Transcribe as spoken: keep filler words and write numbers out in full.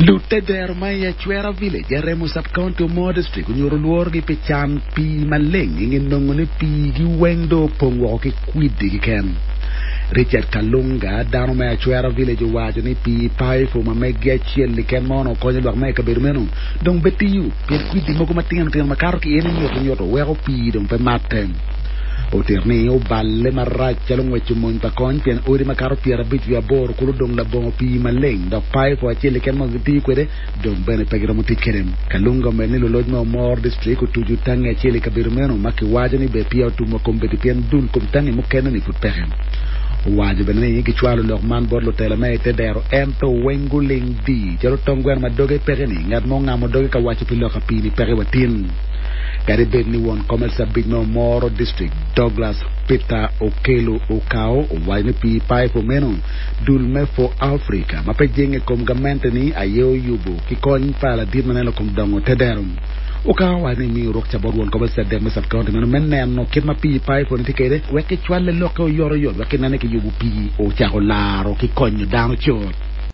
Lutedero ma i Achwera Village, Aremo Sub-County Omoro District onyuto lworogi pi can pii maleng i nge nongo ni piigi weng dong opong woko ki kwidi keken. Richard Kalunga, dano me Achwera Village owaco ni pii paipo ma megi acel keken ma onongo konyo lwak me i kabedo meno dong pe tiyo pien kwidi mogo matino tino makato ki en nyuto nyuto weko pii dong pe matte. Otito ni oballe marac calo ngweco mony pa kony pien odi makato pyerabic wiye aboro kulu dong labongo pii maleng dok paipo acel keken ma gitiyo kwede dong bene pe giromo tic kwede. Kalunga omedo ni luloc me Omoro District otuco tangi acel i kabedo meno ma kiwaco ni be peya otum wa kombeddi pien dul kom tangi mukene ni pud peke. Owaco bene ni gicwalo lok man bot lutela me i tedero ento weng guling di calo tong gweno ma doge peke ni ngat mo ngamo doge ka waco pi lok a pii ni peke wa tin. Kadi bed ni won kom LC abic me Omoro District Douglas Peter Okello Okao owaco ni pii paipo meno dul me For Africa ma pe jenge kom gamente ni aye oyubo ki kony pa ladit ma neno kom dongo tedero. Okao owaco ni miyo rukca bot won kom LC adek me sub-county meno me neno kit ma pii paipo ni tye kwede wek kicwale lokke oyotoyot wek kinene kiyubo pii ocako laro ki konyo dano cut.